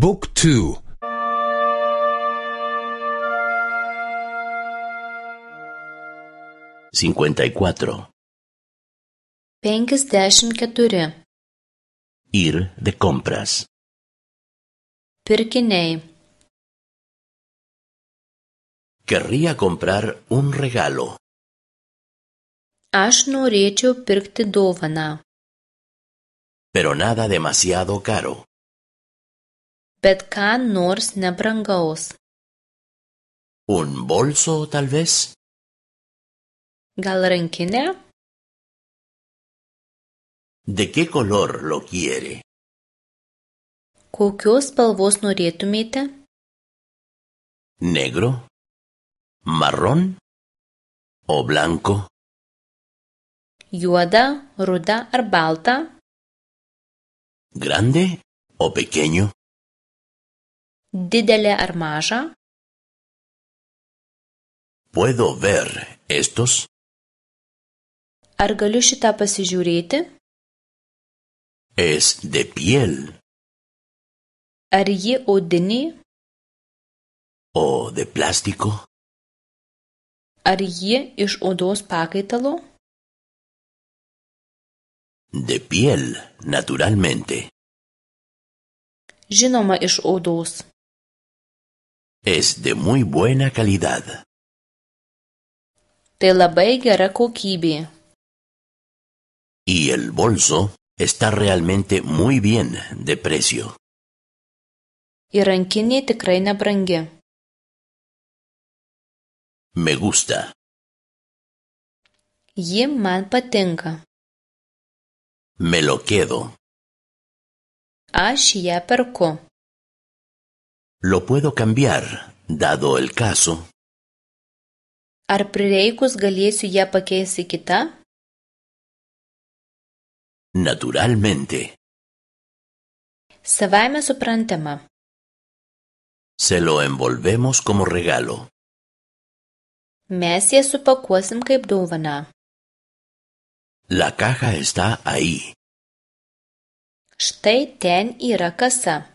บุ๊กทู54 Ir de compras. Pirkiniai. Querría comprar un regalo. Aš norėčiau pirkti dovaną. Pero nada demasiado caro. Bet ką nors nebrangaus. ¿Un bolso, tal vez? Gal rankinė? ¿De qué color lo quiere? Kokios spalvos norėtumėte? ¿Negro? ¿Marrón? ¿O blanco? Juoda, ruda ar balta? ¿Grande o pequeño? Didelė ar maža? ¿Puedo ver estos? Ar galiu šitą pasižiūrėti? Es de piel. Ar ji odinė? ¿O de plástico? Ar ji iš odos pakaitalo? De piel, naturalmente. Žinoma, iš odos. Es de muy buena calidad. Tai labai gera kokybė. Y el bolso está realmente muy bien de precio. Ir rankinė tikrai nebrangi. Me gusta. Ji man patinka. Me lo quedo. Aš ją perku. Lo puedo cambiar, dado el caso. Ar prireikus galėsiu ją pakeisti kitą? Naturalmente. Savaime suprantama. Se lo envolvemos como regalo. Mes ją supakuosim kaip dovaną. La caja está ahí. Štai ten yra kasa.